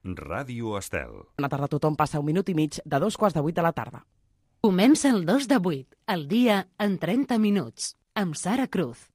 Ràdio Estel. Bona tarda a tothom, passa un minut i mig de 7:45 de la tarda. Comença el 2 de 8, el dia en 30 minuts, amb Sara Cruz.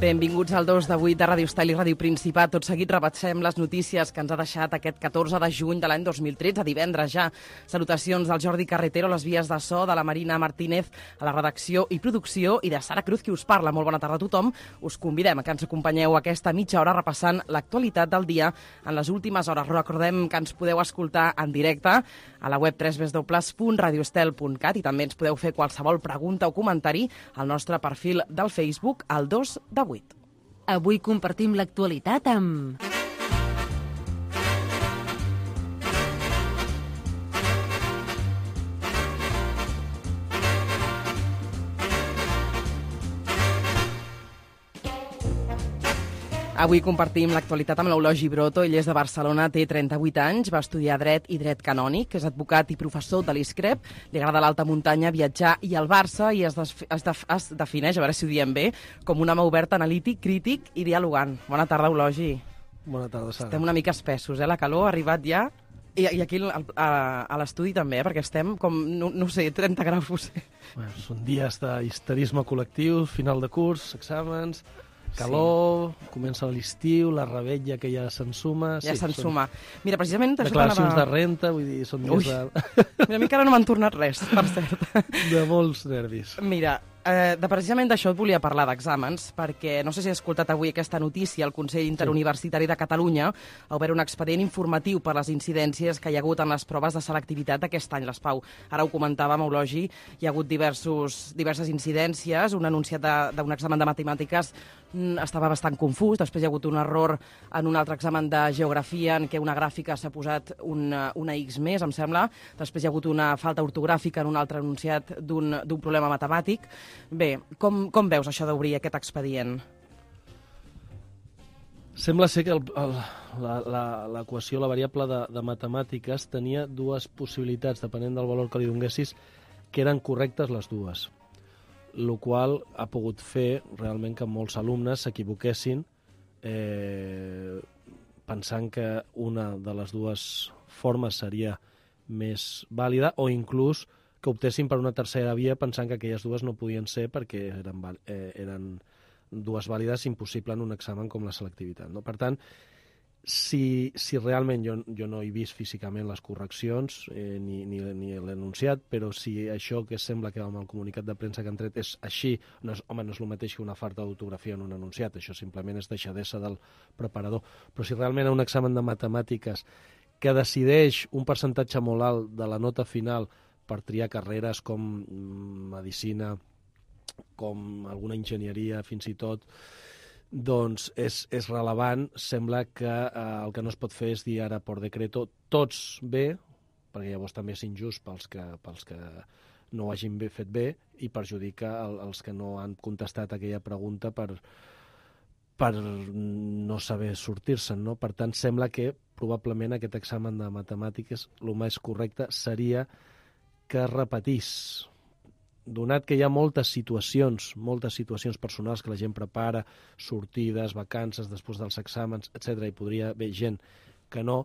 Benvinguts al 2 de 8 de Ràdio Estel i Ràdio Principat. Tot seguit repassem les notícies que ens ha deixat aquest 14 de juny de l'any 2013, divendres ja. Salutacions del Jordi Carretero, les vies de so, de la Marina Martínez, a la redacció i producció, i de Sara Cruz, qui us parla. Molt bona tarda a tothom. Us convidem a que ens acompanyeu aquesta mitja hora repassant l'actualitat del dia en les últimes hores. Recordem que ens podeu escoltar en directe a la web www.radioestel.cat i també ens podeu fer qualsevol pregunta o comentari al nostre perfil del Facebook, al 2 de 8. Avui compartim l'actualitat amb... Avui compartim l'actualitat amb l'Eulogi Broto. Ell és de Barcelona, té 38 anys, va estudiar Dret i Dret Canònic, és advocat i professor de l'ISCREP, li agrada l'alta muntanya, viatjar i el Barça, i es defineix, a veure si ho diem bé, com un home obert, analític, crític i dialogant. Bona tarda, Eulogi. Bona tarda, Sara. Estem una mica espessos, la calor ha arribat ja, i aquí a l'estudi també, perquè estem com, no sé, 30 graus potser. Bueno, són dies d'histerisme col·lectiu, final de curs, exàmens... Calor, sí. Comença l'estiu, la revetlla que ja s'ensuma... Ja s'ensuma. Mira, precisament... Declaracions de renta, vull dir, són dies de... Mira, a mi encara no m'han tornat res, per cert. De molts nervis. Mira, precisament d'això et volia parlar, d'exàmens, perquè no sé si has escoltat avui aquesta notícia. El Consell Interuniversitari de Catalunya ha obert un expedient informatiu per les incidències que hi ha hagut en les proves de selectivitat d'aquest any, les Pau. Ara ho comentàvem, Eulogi, hi ha hagut diverses incidències. Un enunciat d'un examen de matemàtiques estava bastant confús, després hi ha hagut un error en un altre examen de geografia en què una gràfica s'ha posat una X més, em sembla. Després hi ha hagut una falta ortogràfica en un altre enunciat d'un problema matemàtic. Bé, com veus això d'obrir aquest expedient? Sembla ser que l'equació, la variable de matemàtiques, tenia dues possibilitats, depenent del valor que li donguessis, que eren correctes les dues. El qual ha pogut fer realment que molts alumnes s'equivoquessin pensant que una de les dues formes seria més vàlida, o inclús que optessin per una tercera via pensant que aquelles dues no podien ser perquè eren dues vàlides, impossible en un examen com la selectivitat, no? Per tant, si realment jo no he vist físicament les correccions ni l'enunciat, però si això que sembla que amb el comunicat de premsa que han tret és així, no és el mateix que una falta d'autografia en un enunciat, això simplement és deixadesa del preparador. Però si realment en un examen de matemàtiques que decideix un percentatge molt alt de la nota final per triar carreres com medicina, com alguna enginyeria, fins i tot, doncs és rellevant. Sembla que el que no es pot fer és dir ara per decreto tots bé, perquè llavors també és injust pels que no ho hagin fet bé i perjudica els que no han contestat aquella pregunta per no saber sortir-se'n, no? Per tant, sembla que probablement aquest examen de matemàtiques el més correcte seria que es repetís. Donat que hi ha moltes situacions personals que la gent prepara, sortides, vacances, després dels exàmens, etc., i podria haver gent que no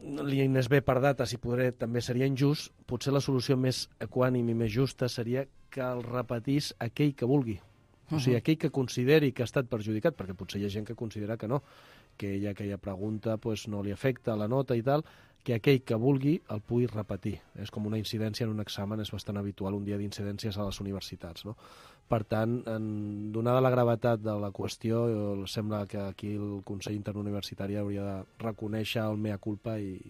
li anés bé per dates i també seria injust, potser la solució més equànime i més justa seria que el repetís aquell que vulgui. O sigui, aquell que consideri que ha estat perjudicat, perquè potser hi ha gent que considera que no, que aquella pregunta no li afecta la nota i tal, que aquell que vulgui el pugui repetir. És com una incidència en un examen, és bastant habitual un dia d'incidències a les universitats, no? Per tant, donada la gravetat de la qüestió, sembla que aquí el Consell Interuniversitari hauria de reconèixer el mea culpa i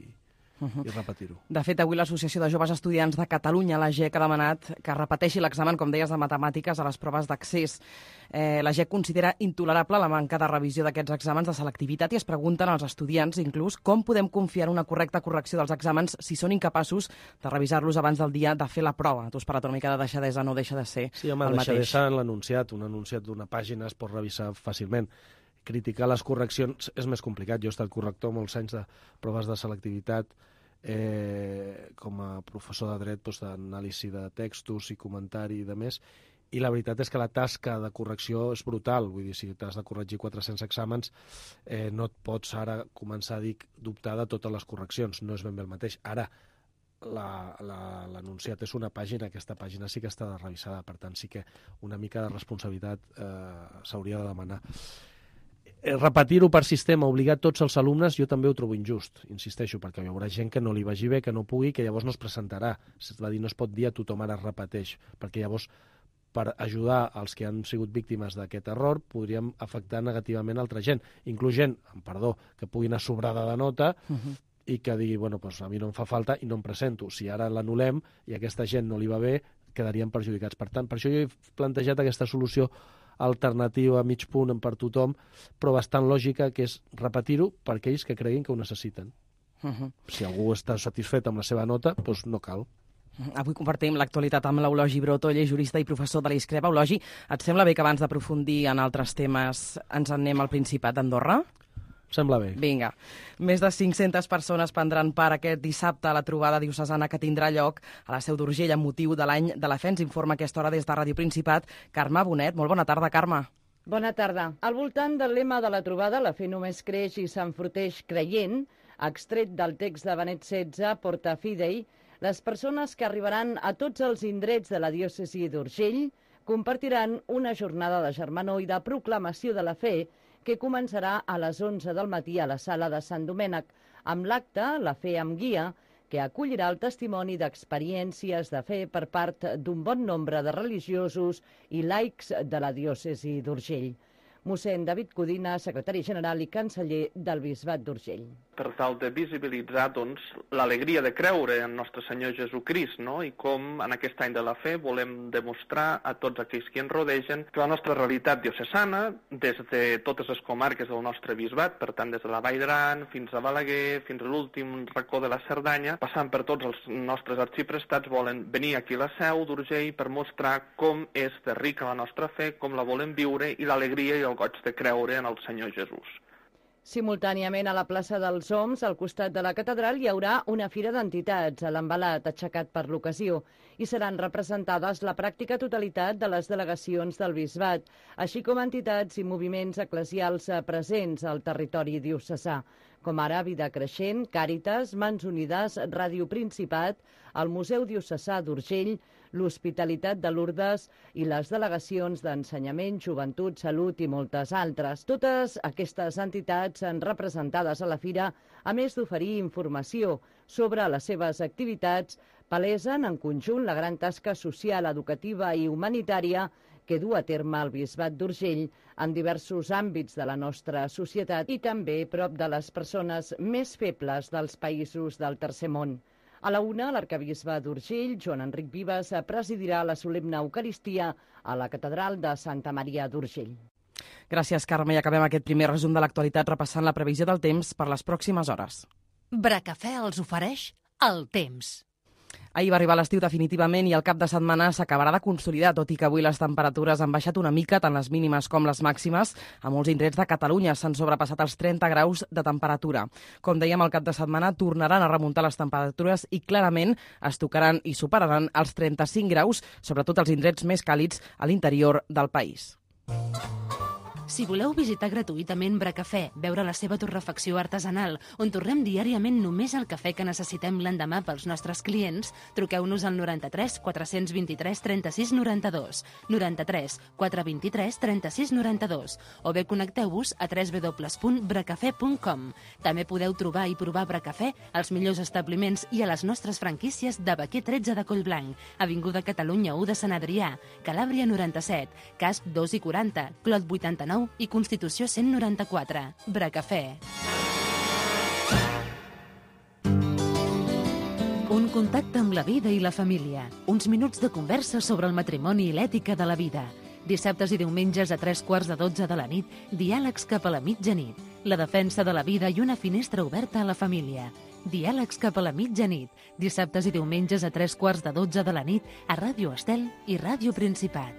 repetir-ho. De fet, avui l'Associació de Joves Estudiants de Catalunya, la GEC, ha demanat que repeteixi l'examen, com deies, de matemàtiques a les proves d'accés. La GEC considera intolerable la manca de revisió d'aquests exàmens de selectivitat i es pregunten als estudiants, inclús, com podem confiar en una correcta correcció dels exàmens si són incapaços de revisar-los abans del dia de fer la prova. Tu has parlat una mica de deixadesa, no deixa de ser el mateix. Sí, home, deixadesa en l'enunciat. Un enunciat d'una pàgina es pot revisar fàcilment. criticar les correccions és més complicat. Jo he estat corrector molts anys de proves de selectivitat, com a professor de dret, d'anàlisi de textos i comentari i de més, i la veritat és que la tasca de correcció és brutal. Vull dir, si t'has de corregir 400 exàmens, no et pots ara començar a dubtar de totes les correccions. No és ben bé el mateix. Ara, l'enunciat és una pàgina, aquesta pàgina sí que està revisada, per tant sí que una mica de responsabilitat s'hauria de demanar. Repetir-ho per sistema, obligar tots els alumnes, jo també ho trobo injust, insisteixo, perquè hi haurà gent que no li vagi bé, que no pugui, que llavors no es presentarà. Es va dir, no es pot dir a tothom ara es repeteix, perquè llavors per ajudar els que han sigut víctimes d'aquest error podríem afectar negativament altra gent, inclús gent, perdó, que pugui anar sobrada de nota i que digui, bueno, doncs a mi no em fa falta i no em presento. Si ara l'anul·lem i a aquesta gent no li va bé, quedarien perjudicats. Per tant, per això jo he plantejat aquesta solució alternativa a mig punt per tothom, però bastant lògica, que és repetir-ho per aquells que creguin que ho necessiten. Si algú està satisfet amb la seva nota, doncs no cal. Avui compartim l'actualitat amb l'Eulogi Brotolle, jurista i professor de l'Iscreba. Eulogi, et sembla bé que abans d'aprofundir en altres temes ens en anem al Principat d'Andorra? Sembla bé. Vinga. Més de 500 persones prendran part aquest dissabte a la trobada diocesana que tindrà lloc a la Seu d'Urgell amb motiu de l'any de la fe. Ens informa a aquesta hora des de Ràdio Principat Carme Bonet. Molt bona tarda, Carme. Bona tarda. Al voltant del lema de la trobada, la fe només creix i s'enforteix creient, extret del text de Benet XVI, Porta Fidei, les persones que arribaran a tots els indrets de la diòcesi d'Urgell compartiran una jornada de germanor i de proclamació de la fe que començarà a les 11 del matí a la sala de Sant Domènec, amb l'acte La Fe amb Guia, que acollirà el testimoni d'experiències de fe per part d'un bon nombre de religiosos i laics de la diòcesi d'Urgell. Mossèn David Codina, secretari general i canceller del Bisbat d'Urgell. Per tal de visibilitzar l'alegria de creure en nostre Senyor Jesucrist, no? I com en aquest any de la fe volem demostrar a tots aquells que ens rodegen que la nostra realitat diocesana, des de totes les comarques del nostre bisbat, per tant des de la Vall d'Aran fins a Balaguer, fins a l'últim racó de la Cerdanya, passant per tots els nostres arxiprestats, volen venir aquí a la Seu d'Urgell per mostrar com és de rica la nostra fe, com la volem viure i l'alegria i el goig de creure en el Senyor Jesús. Simultàniament a la plaça dels Oms, al costat de la catedral, hi haurà una fira d'entitats a l'embalat aixecat per l'ocasió i seran representades la pràctica totalitat de les delegacions del Bisbat, així com entitats i moviments eclesials presents al territori diocesà, com ara Vida Creixent, Càritas, Mans Unides, Ràdio Principat, el Museu Diocesà d'Urgell, l'Hospitalitat de Lourdes i les delegacions d'Ensenyament, Joventut, Salut i moltes altres. Totes aquestes entitats representades a la fira, a més d'oferir informació sobre les seves activitats, palesen en conjunt la gran tasca social, educativa i humanitària que du a terme el Bisbat d'Urgell en diversos àmbits de la nostra societat i també prop de les persones més febles dels països del Tercer Món. A la 1, l'arcabisbe d'Urgell, Joan Enric Vives, presidirà la solemne Eucaristia a la catedral de Santa Maria d'Urgell. Gràcies, Carme. I acabem aquest primer resum de l'actualitat repassant la previsió del temps per les pròximes hores. Bracafè els ofereix el temps. Ahir va arribar l'estiu definitivament i el cap de setmana s'acabarà de consolidar, tot i que avui les temperatures han baixat una mica, tant les mínimes com les màximes. A molts indrets de Catalunya s'han sobrepassat els 30 graus de temperatura. Com dèiem, el cap de setmana tornaran a remuntar les temperatures i clarament es tocaran i superaran els 35 graus, sobretot els indrets més càlids a l'interior del país. Si voleu visitar gratuïtament Bracafè, veure la seva torrefacció artesanal, on torrem diàriament només el cafè que necessitem l'endemà pels nostres clients, truqueu-nos al 93 423 36 92, 93 423 36 92, o bé connecteu-vos a www.bracafè.com. També podeu trobar i provar Bracafè als millors establiments i a les nostres franquícies de Baquer 13 de Collblanc, Avinguda Catalunya 1 de Sant Adrià, Calàbria 97, Casp 2 i 40, Clot 89 i Constitució 194. Bracafè. Un contacte amb la vida i la família. Uns minuts de conversa sobre el matrimoni i l'ètica de la vida. Dissabtes i diumenges a 11:45 de la nit, diàlegs cap a la mitjanit. La defensa de la vida i una finestra oberta a la família. Diàlegs cap a la mitjanit. Dissabtes i diumenges a 11:45 de la nit a Ràdio Estel i Ràdio Principat.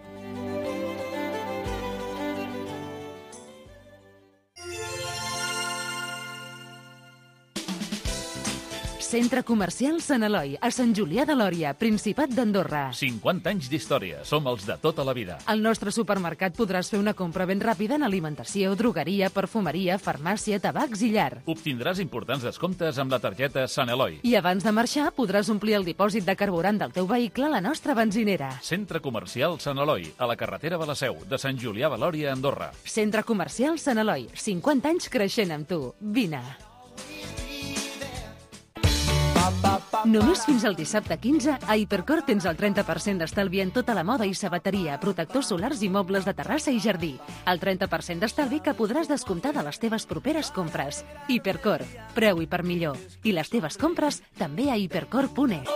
Centre Comercial Sant Eloi, a Sant Julià de Lòria, Principat d'Andorra. 50 anys d'història. Som els de tota la vida. Al nostre supermercat podràs fer una compra ben ràpida en alimentació, drogueria, perfumeria, farmàcia, tabacs i llar. Obtindràs importants descomptes amb la targeta Sant Eloi. I abans de marxar podràs omplir el dipòsit de carburant del teu vehicle a la nostra benzinera. Centre Comercial Sant Eloi, a la carretera de la Seu, de Sant Julià de Lòria, Andorra. Centre Comercial Sant Eloi, 50 anys creixent amb tu. Vine. Només fins al dissabte 15, a Hipercor tens el 30% d'estalvi en tota la moda i sabateria, protectors solars i mobles de terrassa i jardí. El 30% d'estalvi que podràs descomptar de les teves properes compres. Hipercor, preu i per millor. I les teves compres també a hipercor.es.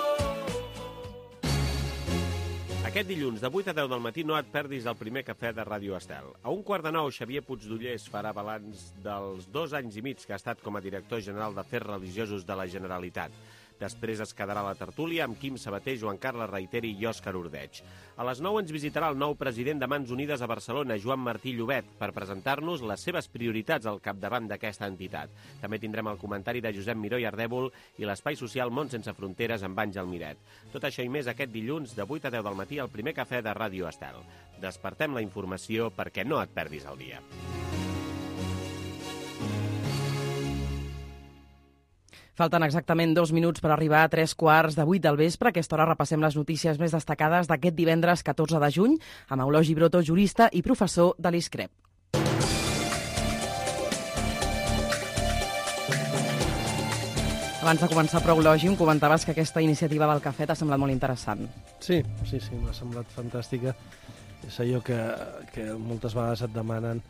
Aquest dilluns, de 8 a 10 del matí, no et perdis el primer cafè de Ràdio Estel. A 1:15, Xavier Puigdollers farà balanç dels 2 anys i mig que ha estat com a director general d'Afers Religiosos de la Generalitat. Després es quedarà la tertúlia amb Quim Sabater, Joan Carles Reiteri i Òscar Ordeig. A les 9 ens visitarà el nou president de Mans Unides a Barcelona, Joan Martí Llobet, per presentar-nos les seves prioritats al capdavant d'aquesta entitat. També tindrem el comentari de Josep Miró i Ardèvol i l'espai social Món Sense Fronteres amb Àngel Miret. Tot això i més aquest dilluns de 8 a 10 del matí al primer cafè de Ràdio Estel. Despertem la informació perquè no et perdis el dia. Falten exactament 2 minuts per arribar a 3:15 del vespre. A aquesta hora repassem les notícies més destacades d'aquest divendres 14 de juny amb Eulogi Broto, jurista i professor de l'ISCREP. Abans de començar, però, Eulogi, em comentaves que aquesta iniciativa del cafè t'ha semblat molt interessant. Sí, m'ha semblat fantàstica. És allò que moltes vegades et demanen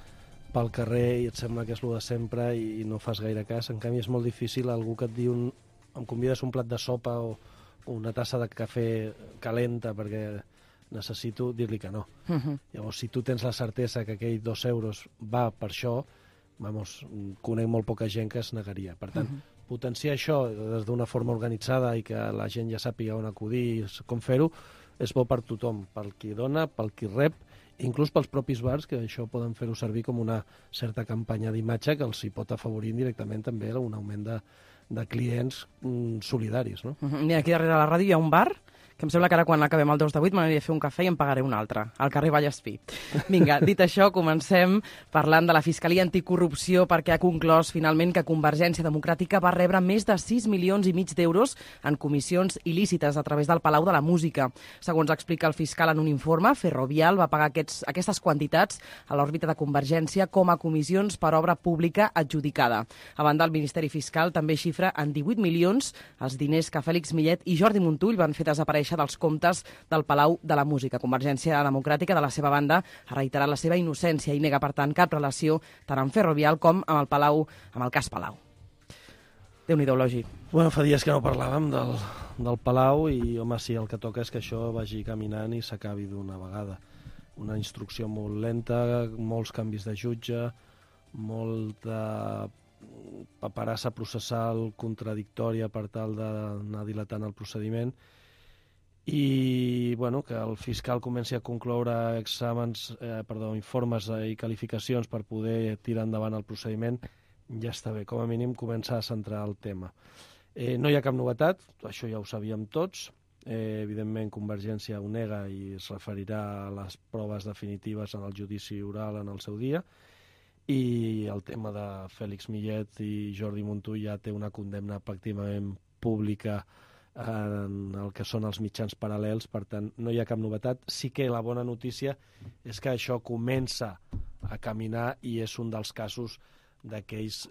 pel carrer i et sembla que és el de sempre i no fas gaire cas. En canvi, és molt difícil algú que et diu em convides un plat de sopa o una tassa de cafè calenta perquè necessito dir-li que no. Llavors, si tu tens la certesa que aquell 2 euros va per això, conec molt poca gent que es negaria. Per tant, potenciar això des d'una forma organitzada i que la gent ja sàpiga on acudir i com fer-ho, és bo per tothom, pel qui dona, pel qui rep, inclús pels propis bars, que això poden fer-ho servir com una certa campanya d'imatge que els hi pot afavorir indirectament també un augment de clients solidaris. No? Mira, aquí darrere la ràdio hi ha un bar que em sembla que ara quan acabem el 2 de 8 m'aniria a fer un cafè i em pagaré un altre, al carrer Vallespí. Vinga, dit això, comencem parlant de la Fiscalia Anticorrupció perquè ha conclòs finalment que Convergència Democràtica va rebre més de 6,5 milions d'euros en comissions il·lícites a través del Palau de la Música. Segons explica el fiscal en un informe, Ferrovial va pagar aquestes quantitats a l'òrbita de Convergència com a comissions per obra pública adjudicada. A banda, el Ministeri Fiscal també xifra en 18 milions els diners que Fèlix Millet i Jordi Montull van fer desaparèixer dels comptes del Palau de la Música. Convergència Democràtica, de la seva banda, ha reiterat la seva innocència i nega, per tant, cap relació tant amb Ferrovial com amb el Palau, amb el cas Palau. Déu-n'hi-do, Eulogi. Bueno, fa dies que no parlàvem del Palau i, home, sí, el que toca és que això vagi caminant i s'acabi d'una vegada. Una instrucció molt lenta, molts canvis de jutge, molta paperassa processal contradictòria per tal d'anar dilatant el procediment i que el fiscal comenci a concloure informes i qualificacions per poder tirar endavant el procediment, ja està bé. Com a mínim començar a centrar el tema. No hi ha cap novetat, això ja ho sabíem tots. Evidentment, Convergència ho nega i es referirà a les proves definitives en el judici oral en el seu dia. I el tema de Fèlix Millet i Jordi Montull ja té una condemna pràcticament pública en el que són els mitjans paral·lels, per tant, no hi ha cap novetat. Sí que la bona notícia és que això comença a caminar i és un dels casos d'aquells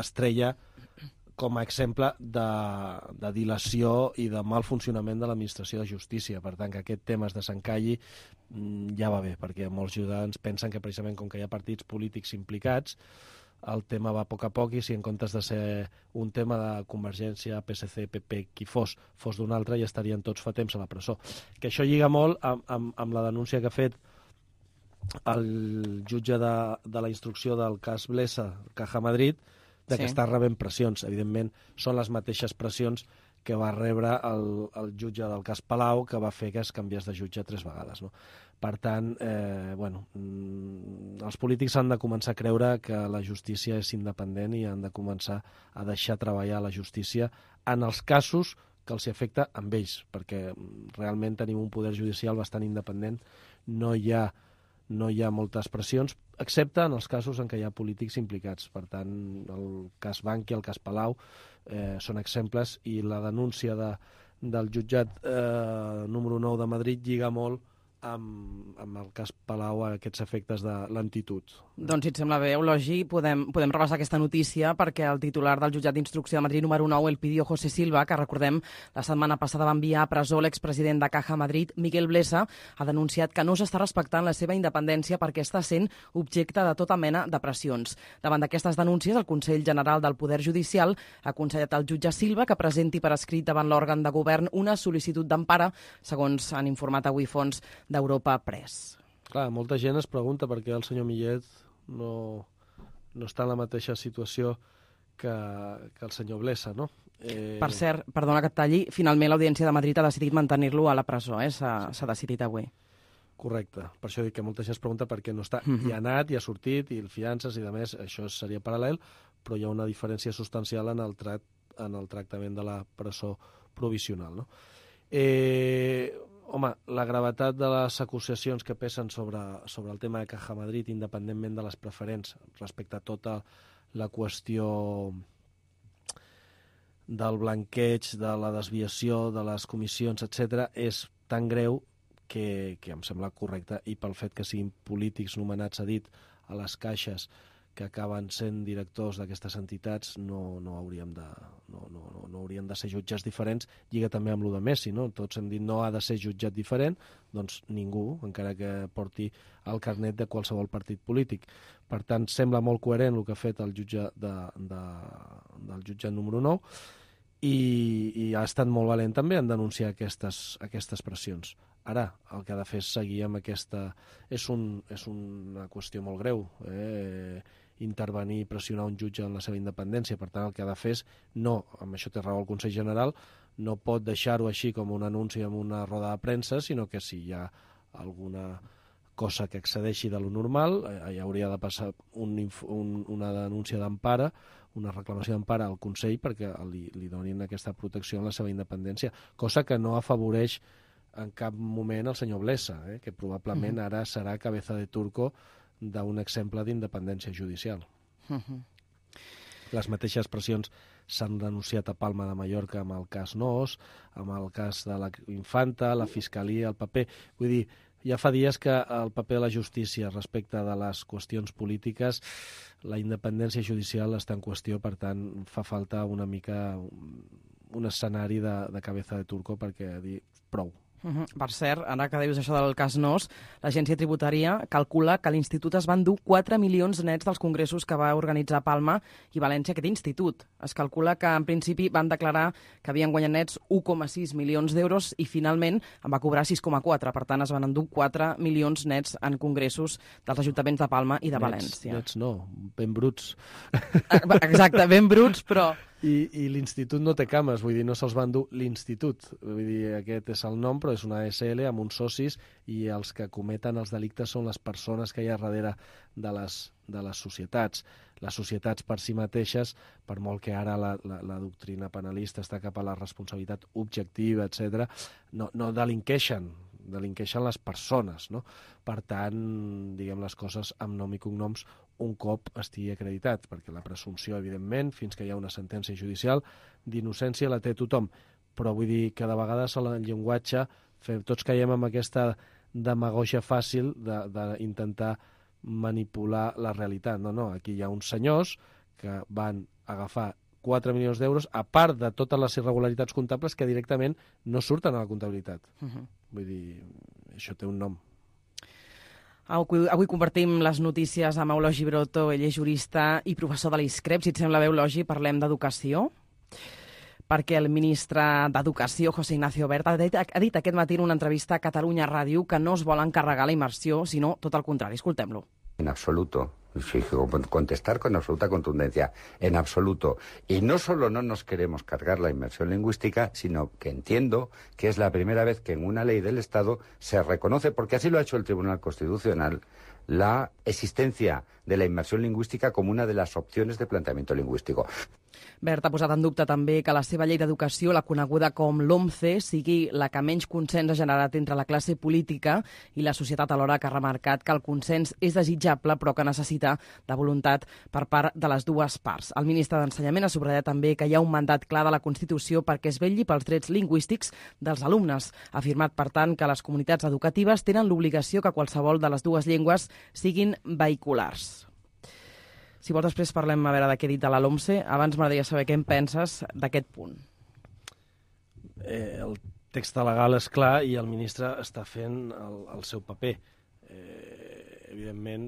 estrella com a exemple de dilació i de mal funcionament de l'administració de justícia. Per tant, que aquest tema es desencalli ja va bé, perquè molts ciutadans pensen que precisament com que hi ha partits polítics implicats, el tema va a poc i si en comptes de ser un tema de Convergència, PSC, PP, qui fos d'un altre, ja estarien tots fa temps a la presó. Que això lliga molt amb la denúncia que ha fet el jutge de la instrucció del cas Blesa, Caja Madrid, que està rebent pressions. Evidentment, són les mateixes pressions que va rebre el jutge del cas Palau, que va fer que es canviés de jutge 3 vegades. No? Per tant, els polítics han de començar a creure que la justícia és independent i han de començar a deixar treballar la justícia en els casos que els afecta amb ells, perquè realment tenim un poder judicial bastant independent, no hi ha moltes pressions, excepte en els casos en què hi ha polítics implicats. Per tant, el cas Bankia, el cas Palau, són exemples, i la denúncia del jutjat número 9 de Madrid lliga molt amb el cas Palau a aquests efectes de lentitud. Doncs, si et sembla bé, Eulogi, podem repassar aquesta notícia, perquè el titular del jutjat d'instrucció de Madrid número 9, Elpidio José Silva, que recordem la setmana passada va enviar a presó l'expresident de Caja Madrid, Miguel Blesa, ha denunciat que no s'està respectant la seva independència perquè està sent objecte de tota mena de pressions. Davant d'aquestes denúncies, el Consell General del Poder Judicial ha aconsellat al jutge Silva que presenti per escrit davant l'òrgan de govern una sol·licitud d'empara, segons han informat avui fonts d'Europa Press. Clar, molta gent es pregunta per què el senyor Millet no està en la mateixa situació que el senyor Blesa, no? Per cert, perdona que et talli, finalment l'Audiència de Madrid ha decidit mantenir-lo a la presó, s'ha decidit avui. Correcte, per això dic que molta gent es pregunta per què no està. I ha anat, i ha sortit, i fiances, i de més, això seria paral·lel, però hi ha una diferència substancial en el tractament de la presó provisional, no? Home, la gravetat de les acusacions que pesen sobre el tema de Caja Madrid, independentment de les preferents, respecte a tota la qüestió del blanqueig, de la desviació, de les comissions, etc., és tan greu que em sembla correcte, i pel fet que siguin polítics nomenats a dit a les caixes que acaben sent directors d'aquestes entitats, no haurien de ser jutjats diferents. Lliga també amb lo de Messi, no? Tots hem dit no ha de ser jutjat diferent, doncs ningú, encara que porti el carnet de qualsevol partit polític. Per tant, sembla molt coherent el que ha fet el jutge del jutjat número 9, i ha estat molt valent també en denunciar aquestes pressions. Ara, el que ha de fer és seguir amb aquesta... És una qüestió molt greu, intervenir i pressionar un jutge en la seva independència. Per tant, el que ha de fer és, no, amb això té raó el Consell General, no pot deixar-ho així com un anunci en una roda de premsa, sinó que si hi ha alguna cosa que excedeixi de lo normal, hi hauria de passar una denúncia d'empara, una reclamació d'empara al Consell perquè li donin aquesta protecció en la seva independència, cosa que no afavoreix en cap moment el senyor Blesa, que probablement ara serà cabeza de turco d'un exemple d'independència judicial. Les mateixes pressions s'han denunciat a Palma de Mallorca amb el cas Nos, amb el cas de la Infanta, la Fiscalia, el paper... Vull dir, ja fa dies que el paper de la justícia respecte de les qüestions polítiques, la independència judicial està en qüestió, per tant, fa falta una mica un escenari de cabeza de turco perquè dir prou. Per cert, ara que dius això del cas Nos, l'Agència Tributària calcula que l'Institut es va endur 4 milions nets dels congressos que va organitzar Palma i València aquest institut. Es calcula que en principi van declarar que havien guanyat nets 1,6 milions d'euros i finalment en va cobrar 6,4. Per tant, es van endur 4 milions nets en congressos dels ajuntaments de Palma i de València. Nets no, ben bruts. Exacte, ben bruts, però... I l'institut no té cames, vull dir, no se'ls va endur l'institut. Vull dir, aquest és el nom, però és una SL amb uns socis, i els que cometen els delictes són les persones que hi ha darrere de les societats. Les societats per si mateixes, per molt que ara la doctrina penalista està cap a la responsabilitat objectiva, etc., no delinqueixen les persones, no? Per tant, diguem les coses amb nom i cognoms un cop estigui acreditat, perquè la presumpció, evidentment, fins que hi ha una sentència judicial d'innocència la té tothom, però vull dir que de vegades el llenguatge, tots caiem en aquesta demagògia fàcil d'intentar manipular la realitat. No, aquí hi ha uns senyors que van agafar 4 milions d'euros, a part de totes les irregularitats comptables que directament no surten a la comptabilitat. Vull dir, això té un nom. Avui compartim les notícies amb Eulogi Broto, ell és jurista i professor de l'ISCREP. Si et sembla bé, Eulogi, parlem d'educació, perquè el ministre d'Educació, José Ignacio Wert, ha dit aquest matí en una entrevista a Catalunya Ràdio que no es vol encarregar la immersió, sinó tot el contrari. Escoltem-lo. En absoluto. Contestar con absoluta contundencia. En absoluto. Y no solo no nos queremos cargar la inmersión lingüística, sino que entiendo que es la primera vez que en una ley del Estado se reconoce, porque así lo ha hecho el Tribunal Constitucional, la existencia de la immersió lingüística com una de les opcions de planteamiento lingüístico. Bert ha posat en dubte també que la seva llei d'educació, la coneguda com l'OMCE, sigui la que menys consens ha generat entre la classe política i la societat, alhora que ha remarcat que el consens és desitjable però que necessita de voluntat per part de les dues parts. El ministre d'Ensenyament ha subratllat també que hi ha un mandat clar de la Constitució perquè es vetlli pels drets lingüístics dels alumnes. Ha afirmat, per tant, que les comunitats educatives tenen l'obligació que qualsevol de les dues llengües siguin vehiculars. Si vols, després parlem a veure de què he dit de la LOMCE. Abans m'agradaria saber què en penses d'aquest punt. El text legal és clar i el ministre està fent el seu paper. Evidentment,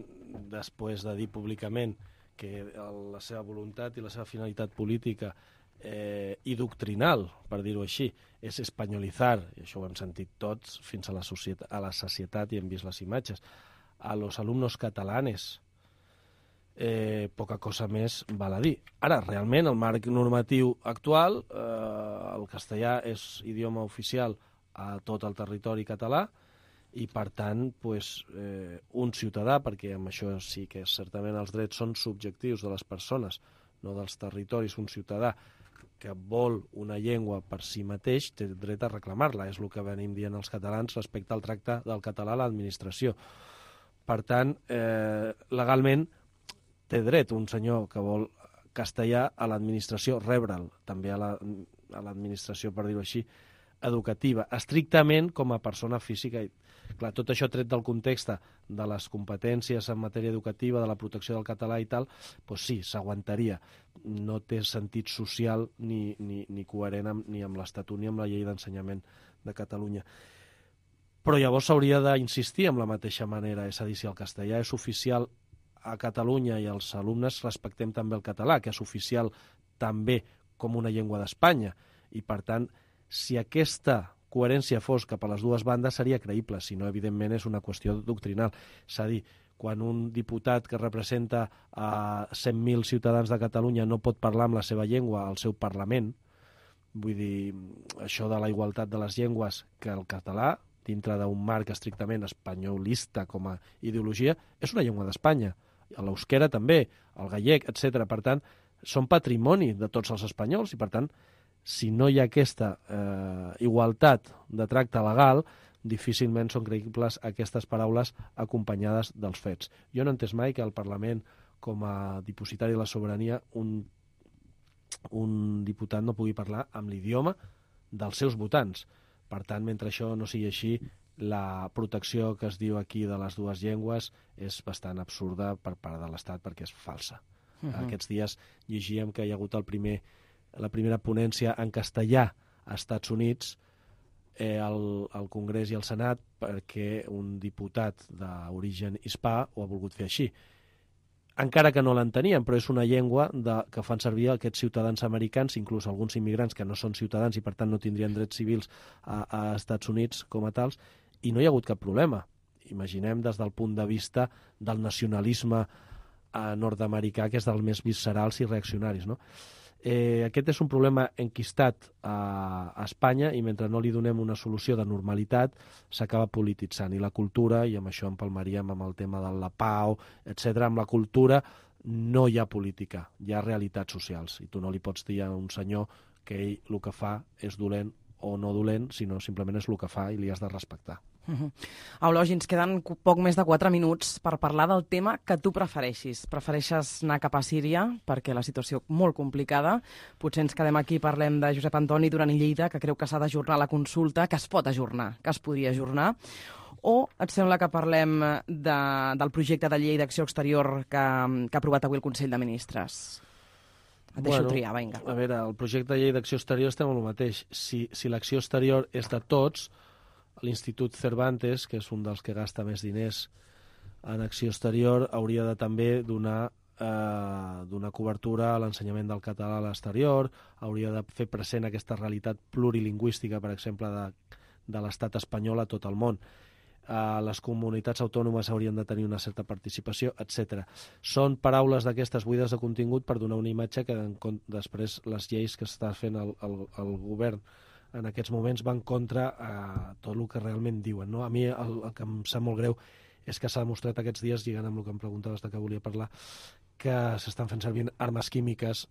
després de dir públicament que la seva voluntat i la seva finalitat política i doctrinal, per dir-ho així, és espanyolitzar, i això ho hem sentit tots fins a la sacietat i hem vist les imatges, a los alumnos catalanes, poca cosa més val a dir. Ara, realment, el marc normatiu actual, el castellà és idioma oficial a tot el territori català i, per tant, un ciutadà, perquè amb això sí que certament els drets són subjectius de les persones, no dels territoris, un ciutadà que vol una llengua per si mateix té dret a reclamar-la. És el que venim dient els catalans respecte al tracte del català a l'administració. Per tant, legalment, té dret un senyor que vol castellà a l'administració, rebre'l, també a l'administració, per dir-ho així, educativa, estrictament com a persona física. Clar, tot això tret del context de les competències en matèria educativa, de la protecció del català i tal, doncs sí, s'aguantaria. No té sentit social ni coherent ni amb l'Estatut ni amb la llei d'ensenyament de Catalunya. Però llavors s'hauria d'insistir amb la mateixa manera, és a dir, si el castellà és oficial a Catalunya i els alumnes respectem també el català, que és oficial també com una llengua d'Espanya. I, per tant, si aquesta coherència fos cap a les dues bandes, seria creïble. Si no, evidentment, és una qüestió doctrinal. És a dir, quan un diputat que representa a 100.000 ciutadans de Catalunya no pot parlar amb la seva llengua al seu Parlament, vull dir, això de la igualtat de les llengües que el català, dintre d'un marc estrictament espanyolista com a ideologia, és una llengua d'Espanya. L'euskera també, el gallec, etc. Per tant, són patrimoni de tots els espanyols i, per tant, si no hi ha aquesta igualtat de tracte legal, difícilment són creïbles aquestes paraules acompanyades dels fets. Jo no he entès mai que el Parlament, com a dipositari de la sobirania, un diputat no pugui parlar amb l'idioma dels seus votants. Per tant, mentre això no sigui així, la protecció que es diu aquí de les dues llengües és bastant absurda per part de l'Estat perquè és falsa. Aquests dies llegíem que hi ha hagut la primera ponència en castellà a Estats Units, al Congrés i al Senat, perquè un diputat d'origen hispà ho ha volgut fer així. Encara que no l'entenien, però és una llengua que fan servir aquests ciutadans americans, inclús alguns immigrants que no són ciutadans i per tant no tindrien drets civils a Estats Units com a tals, i no hi ha hagut cap problema. Imaginem des del punt de vista del nacionalisme nord-americà, que és dels més viscerals i reaccionaris, no? Aquest és un problema enquistat a Espanya i mentre no li donem una solució de normalitat s'acaba polititzant. I la cultura, i amb això empalmaríem amb el tema de la pau, etc. Amb la cultura no hi ha política, hi ha realitats socials. I tu no li pots dir a un senyor que ell el que fa és dolent o no dolent, sinó simplement és el que fa i li has de respectar. Eulogi, ens queden poc més de 4 minuts per parlar del tema que tu prefereixis. Prefereixes anar cap a Síria perquè la situació és molt complicada. Potser ens quedem aquí i parlem de Josep Antoni Duran i Lleida, que creu que s'ha d'ajornar la consulta, que es pot ajornar, que es podria ajornar. O et sembla que parlem del projecte de llei d'acció exterior que ha aprovat avui el Consell de Ministres? Et deixo triar, vinga. A veure, el projecte de llei d'acció exterior estem amb el mateix. Si l'acció exterior és de tots, l'Institut Cervantes, que és un dels que gasta més diners en acció exterior, hauria de també donar cobertura a l'ensenyament del català a l'exterior, hauria de fer present aquesta realitat plurilingüística, per exemple, de l'estat espanyol a tot el món. les comunitats autònomes haurien de tenir una certa participació, etc. Són paraules d'aquestes buides de contingut per donar una imatge que després les lleis que està fent el govern en aquests moments van contra tot el que realment diuen, no? A mi el que em sap molt greu és que s'ha demostrat aquests dies, lligant amb el que em preguntaves de què volia parlar, que s'estan fent servir armes químiques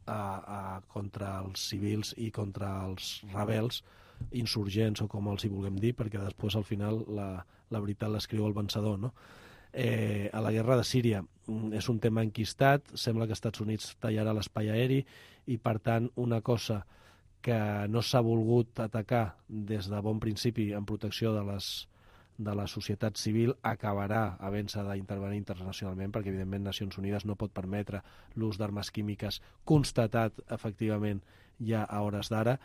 contra els civils i contra els rebels, insurgents o com els hi vulguem dir, perquè després al final la veritat l'escriu el vencedor, no? A la guerra de Síria és un tema enquistat, sembla que Estats Units tallarà l'espai aeri i per tant una cosa que no s'ha volgut atacar des de bon principi en protecció de la societat civil acabarà havent-se d'intervenir internacionalment, perquè evidentment Nacions Unides no pot permetre l'ús d'armes químiques constatat efectivament ja a hores d'ara,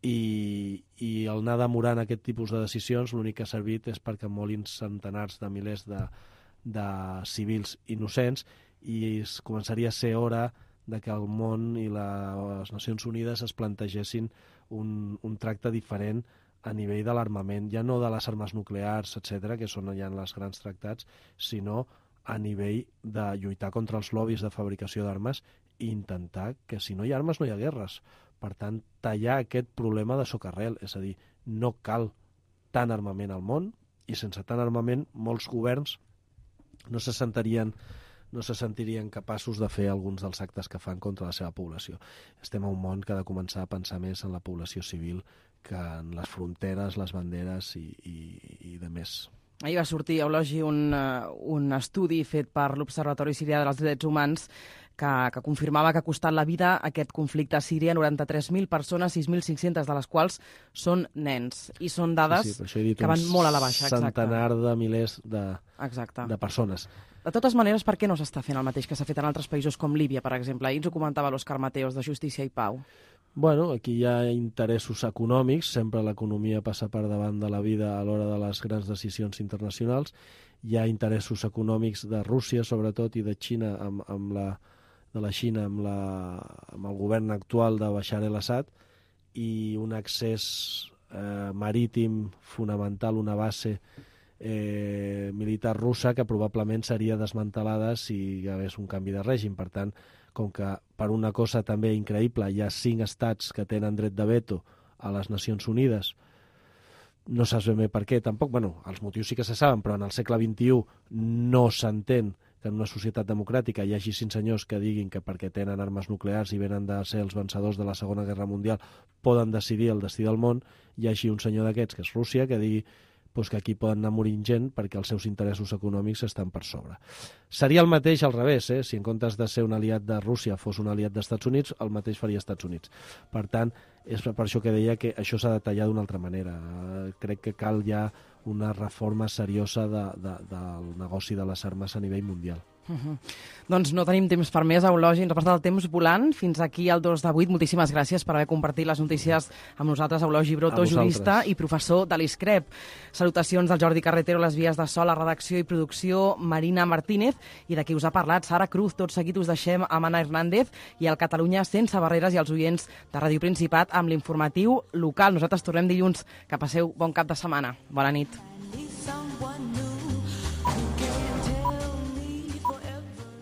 i el anar demorant aquest tipus de decisions l'únic que ha servit és perquè molin centenars de milers de civils innocents i es començaria a ser hora de que el món i les Nacions Unides es plantegessin un tracte diferent a nivell de l'armament, ja no de les armes nuclears, etc., que són ja en els grans tractats, sinó a nivell de lluitar contra els lobbies de fabricació d'armes i intentar que si no hi ha armes no hi ha guerres. Per tant, tallar aquest problema de socarrel, és a dir, no cal tant armament al món i sense tant armament molts governs no se sentirien capaços de fer alguns dels actes que fan contra la seva població. Estem a un món que ha de començar a pensar més en la població civil que en les fronteres, les banderes i de més. Ahir va sortir, Eulogi, un estudi fet per l'Observatori Sirià dels Drets Humans que confirmava que ha costat la vida aquest conflicte a Síria 93.000 persones, 6.500 de les quals són nens. I són dades que van molt a la baixa. Centenar de milers de persones. De totes maneres, per què no s'està fent el mateix que s'ha fet en altres països com Líbia, per exemple? Ahir ens ho comentava l'Òscar Mateos, de Justícia i Pau. Bueno, aquí hi ha interessos econòmics, sempre l'economia passa per davant de la vida a l'hora de les grans decisions internacionals. Hi ha interessos econòmics de Rússia, sobretot, i de Xina, amb el govern actual de Bashar el-Assad, i un accés marítim fonamental, una base militar russa que probablement seria desmantelada si hi hagués un canvi de règim. Per tant, com que per una cosa també increïble hi ha 5 estats que tenen dret de veto a les Nacions Unides, no saps ben bé per què tampoc. Bueno, els motius sí que se saben, però en el segle XXI no s'entén que en una societat democràtica hi hagi 5 senyors que diguin que perquè tenen armes nuclears i venen de ser els vencedors de la Segona Guerra Mundial poden decidir el destí del món, hi hagi un senyor d'aquests, que és Rússia, que digui que aquí poden anar morint gent perquè els seus interessos econòmics estan per sobre. Seria el mateix al revés, si en comptes de ser un aliat de Rússia fos un aliat dels Estats Units, el mateix faria Estats Units. Per tant, és per això que deia que això s'ha de tallar d'una altra manera. Crec que cal ja una reforma seriosa del negoci de les armes a nivell mundial. Doncs no tenim temps per més, Eulogi, ens ha passat el temps volant. Fins aquí el 2 de 8. Moltíssimes gràcies per haver compartit les notícies amb nosaltres, Eulogi Broto, jurista i professor de l'ISCREP. Salutacions del Jordi Carretero, les vies de so, la redacció i producció, Marina Martínez, i de qui us ha parlat, Sara Cruz. Tot seguit us deixem amb Anna Hernández i el Catalunya sense barreres i els oients de Ràdio Principat amb l'informatiu local. Nosaltres tornem dilluns. Que passeu bon cap de setmana. Bona nit.